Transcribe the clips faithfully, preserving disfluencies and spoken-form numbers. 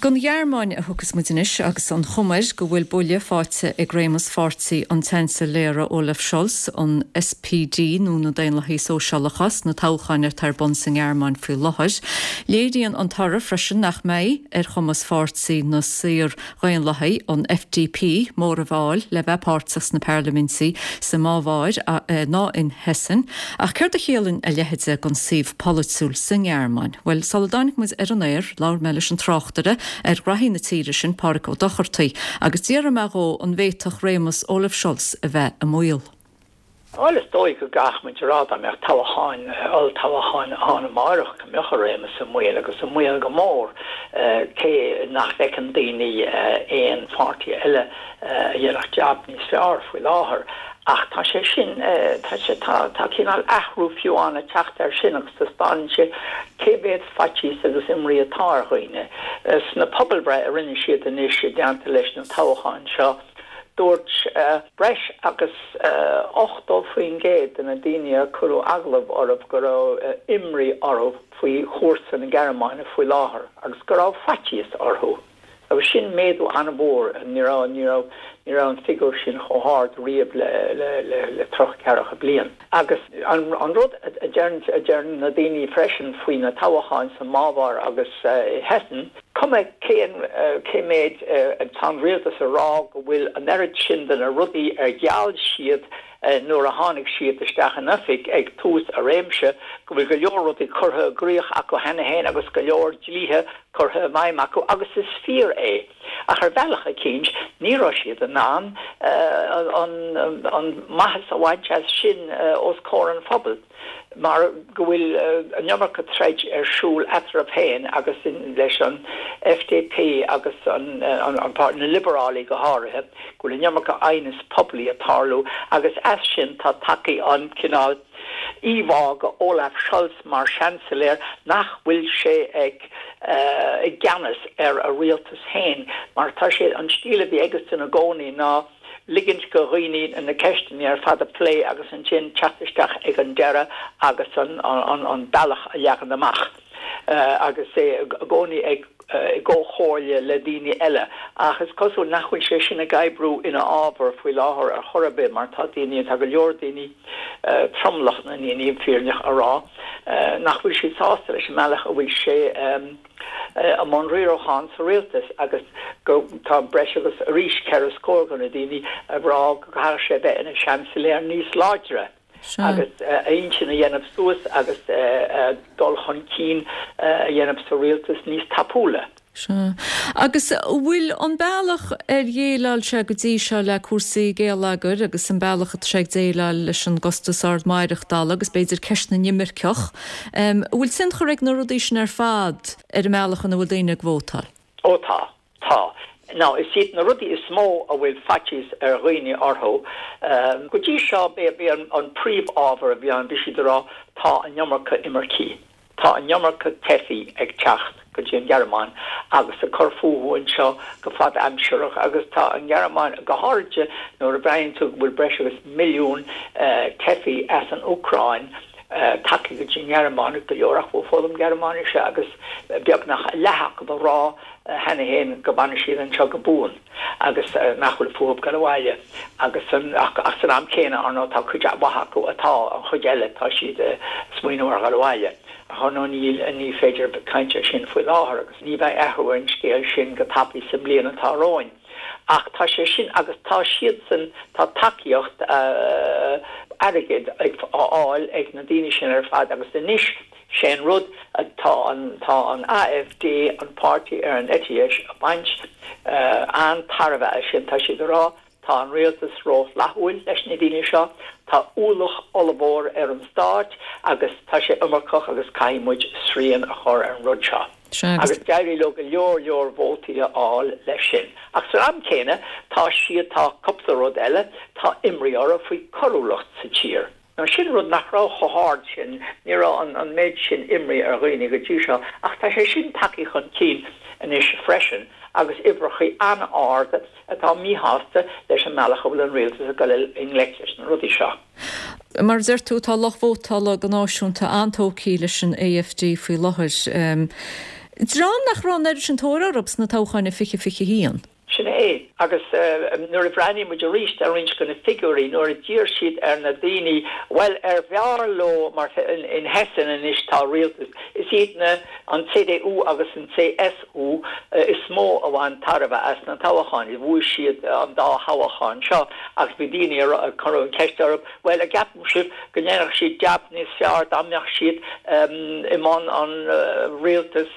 Don Ghearmáin a thiocfas muid anois agus an chuma air go bhfuil buille faighte ag réimeas pháirtí an tSeansailéara Olaf Scholz, an S P D nó na Daonlathaigh Sóisialacha, sna toghcháin atá ar bun sa nGearmáin faoi láthair. Léiríonn an toradh freisin nach mbeidh ar chumas pháirtí na Saor-Dhaonlathaigh, an F D P, móramh a fháil le bheith páirteach sna parlaimintí sa mBaváir ná in Hessen, ach céard a chiallaíonn a leithéid don suíomh polaitiúil sa nGearmáin? Well, sula dtáinig muid ar an aer, labhair mé leis an tráchtaire ar ghraithí na tíre sin, Pádhraic Ó Dochartaigh, agus d'iarr mé dhó an bhféadfadh réimeas Olaf Scholz a bheith i mbaol. Bhuel, is dóigh go gcaithfidh muid a rá dá mbeadh toghcháin, olltoghcháin ann amárach, go mbeadh a réimeas i mbaol agus i mbaol go mór, cé nach bhfeiceann daoine aon pháirtí eile a dhéanfadh jab níos fearr faoi láthair. Ach tá sé sin, tá sé, tá tá cineál athrú fiú ann ag teacht air sin agus taispeánann sé cé mhéad faitíos agus imní atá ar dhaoine. Sna pobalbhreith a rinne siad anois i dteannta leis na toghcháin seo, dúirt breis agus ochtó faoin gcéad de na daoine a cuireadh agallamh orthu go raibh imní orthu faoi chúrsa na Gearmáine faoi láthair agus go raibh faitíos orthu. Agus sin méadú an-mhór. ní raibh ní raibh ní raibh an figiúr sin chomh hard riamh le le le le tríocha ceathracha bliain. Agus an an rud a deir a deir na daoine freisin faoi na toghcháin sa mBaváir agus uh, Hessen, cuma cén cé méid tá an rialtas a rá go bhfuil an oiread sin de na rudaí ar gheall siad nuair a tháinig siad isteach in oifig ag tús a réimse, go bhfuil go leor rudaí curtha i gcrích acu cheana féin agus go leor dlíthe curtha i bhfeidhm acu, agus is fíor é. Ach ar bhealach eicínt ní raibh siad in ann an an maitheas a bhaint as sin os comhair an phobail, mar go bhfuil an iomarca troid ar siúl eatarthu féin agus leis an F D P agus an, an, an na liobarálaigh go háirithe, go bhfuil an iomarca aighneas poiblí ag tarlú, agus as sin tá tagtha an cineál íomhá de Olaf Scholz mar seansailéir nach bhfuil sé ag uh, i gceannas ar a rialtas féin, mar tá sé an stíl a bhí aige ina gcónaí ná ligint do dhaoine na ceisteanna ar fad a phlé agus ansin teacht isteach ag an deireadh agus an, an, an bealach a leagan amach. Uh, agus é i gcónaí ag uh, i gcomhairle le daoine eile, ach is cosúil nach bhfuil sé sin ag oibriú ina fhabhar faoi láthair ar chor ar bith, mar tá daoine, tá go leor daoine, uh, tromlach na ndaoine fírinneach a rá uh, nach bhfuil siad sásta leis an mbealach a bhfuil sé um, i mbun riaracháin sa rialtas, agus go tá breis agus arís ceithre scór de na daoine ag rá go gcaithfidh sé bheith ina seansailéir níos láidre agus a intinn a dhéanamh suas agus dul chun cinn a dhéanamh sa rialtas níos tapúla. Sea. Agus bhfuil an bealach ar dhéileáil sé go dtí seo le cúrsaí geilleagair agus an bealach atá sé ag déileáil leis an gcostas ard maireachtála agus b'fhéidir ceist na n-imirceach, bhfuil tionchar ag na rudaí sin ar fad ar an mbealach ina bhfuil daoine ag vótáil? Ó tá, tá. Now, is iad na rudaí is mó a bhfuil faitíos ar dhaoine orthu. Um, go dtí seo b'é an, an príomhábhar a bhí an bhí siad ag rá tá an iomarca imircigh. Tá an iomarca teifigh ag teacht go dtí an Ghearmáin agus ag cur fúthu anseo go fad-aimsearach, agus tá an Ghearmáin, go háirithe nuair a bhreathnaíonn tú go bhfuil breis agus milliún uh, teifigh as an Úcráin uh, tagtha go dtí an Ghearmáin, go leor acu ag foghlaim Gearmáinise, agus beagnach leath acu ag rá cheana féin go bhfanfaidh siad anseo go buan agus nach bhfuil fúthu dul abhaile, agus an, ach, ach san am céanna ar ndóigh tá cuid mhaith acu atá, an chuid eile, tá siad smaoineamh ar dhul abhaile. Ach nó níl, ní féidir caint air sin faoi láthair agus ní bheidh athrú ar an scéal sin go tapaidh sa mbliain atá romhainn. Ach tá sé sin agus tá siadsan, tá tacaíocht uh, airgid ag fáil ag na daoine sin ar fad, agus anois sé an rud tá an tá an A F D, an páirtí ar an eite dheis, ag baint uh, an-tairbhe as sin. Tá siad ag rá tá an rialtas rófhlaithiúil leis na daoine seo, tá ualach ollmhór ar an stát agus tá sé iomarcach agus caithfidh muid srian a chur ar an rud seo. Agus d'éirigh leo go leor leor vótaí a fháil leis sin. Ach san am céanna tá siad, tá cúpla rud eile, tá imní orthu faoi choiriúlacht sa tír. Now sin rud nach raibh chomh hard sin, ní raibh an, an méid sin imní ar dhaoine go dtí seo, ach tá sé sin tagtha chun cinn anois freisin, agus uimhreacha an-ard atá míshásta leis an mbealach a bhfuil an rialtas ag dul i ngleic leis na rudaí seo. Mar deir tú, tá lucht vótála go náisiúnta an-tógtha leis an A F D faoi láthair. Um, Dream nach raibh an oiread sin tóir orthu sna toghcháin i fiche fiche haon. Sin é, agus nuair a bhreathnaíonn muid arís ar roinnt de na figiúirí, nuair a d'iarr siad ar na daoine, bhuel, ar bhfearr leo, mar in Hessen anois tá rialtas, is iad na, an CDU agus an CSU is mó a bhain tairbhe as na toghcháin, bhuaigh siad an dá thoghchán seo agus bhí daoine a rá, cuireadh an cheist orthu, bhuel, an gceapann sibh go ndéanfadh siad jab níos fearr dá mbeadh siad i mbun an rialtas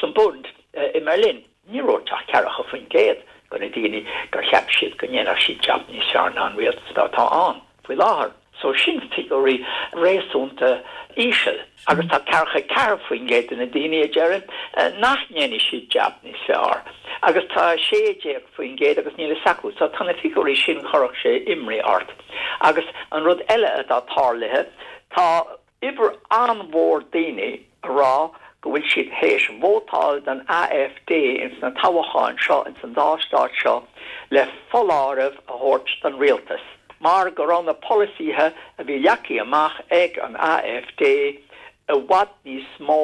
san Bund i mBerlin? Ní raibh ach ceathracha faoin gcéad de na daoine gur cheap siad go ndéanfadh siad jab níos fearr ná an rialtas atá ann faoi láthair. So sin figiúirí réasúnta íseal. Agus tá ceathracha ceathair faoin gcéad de na daoine a deireann nach ndéanfaidh siad jab níos fearr. Agus tá sé déag faoin gcéad agus níl a fhios acu. So tá na figiúirí sin chuirfeadh sé imní ort. Agus an rud eile atá tarlaithe, tá uimhir an-mhór daoine a rá go bhfuil siad théis vótáil don AfD ins na toghcháin seo ins an dá stát seo le foláireamh a thabhairt don rialtas mar go raibh na polasaithe a bhí leagtha amach ag an AfD i bhfad níos mó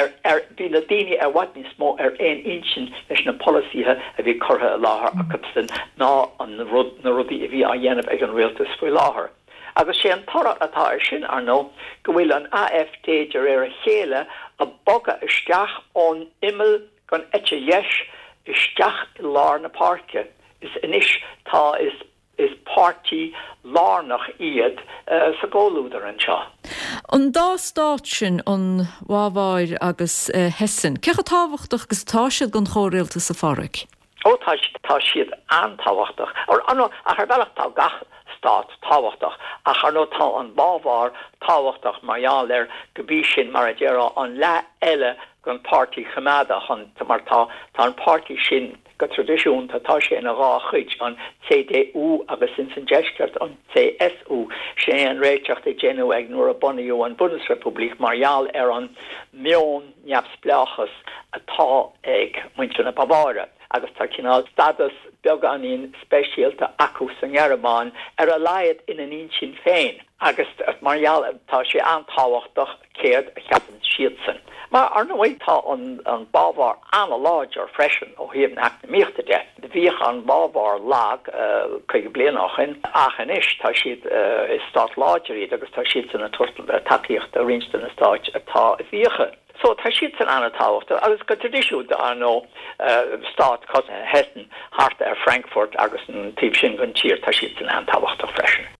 ar ar bhí na daoine i bhfad níos mó ar aon intinn leis na polasaithe a bhí curtha i láthair acusan ná an rud na rudaí a bhí á dhéanamh ag an rialtas faoi láthair. Agus sé an toradh atá air sin, ar ndóigh, go bhfuil an AfD de réir a chéile ag bogadh isteach ón imeall den eite dheis isteach i lár na páirce. Is anois tá is is páirtí lárnach iad sa gcomhluadar anseo. An dá stát sin, an Bhaváir agus Hessen, cé chomh tábhachtach agus atá siad don chomhrialtas, a Pháraic? Ó tá tá siad an-tábhachtach. Ar ndóigh, ach ar bhealach tá gach stát tábhachtach, ach ar ndóigh tá an Bhaváir tábhachtach mar gheall ar go bí sin mar a déarfá an leath eile den Páirtí Choimeádach an mar tá tá an páirtí sin go traidisiúnta tá sé ina dhá chuid, an CDU agus ins an deisceart an CSU. Sin é an réiteach a déanadh ag nuair a bunaíodh an Bundesrepublik mar gheall ar an meon neamhspleáchas atá ag muintir na Baváire agus tá cineál stádas beagáinín speisialta acu sa nGearmáin, ar a laghad ina n-intinn féin, agus mar gheall tá sé an-tábhachtach céard a cheapann siadsan. Mar ar ndóigh tá an an Bhaváir an-láidir freisin ó thaobh na heacnamaíochta de. Bhíodh an Bhaváir lag caoga bliain ó shin ach anois tá siad is stát láidir iad agus tá siadsan ag tabhairt tacaíocht do roinnt de na stáit atá i bhfiacha. So tá siadsan an-tábhachtach agus go traidisiúnta ar ndóigh stát cosúil le Hessen thart ar Frankfurt agus an taobh sin den tír tá siadsan an-tábhachtach freisin.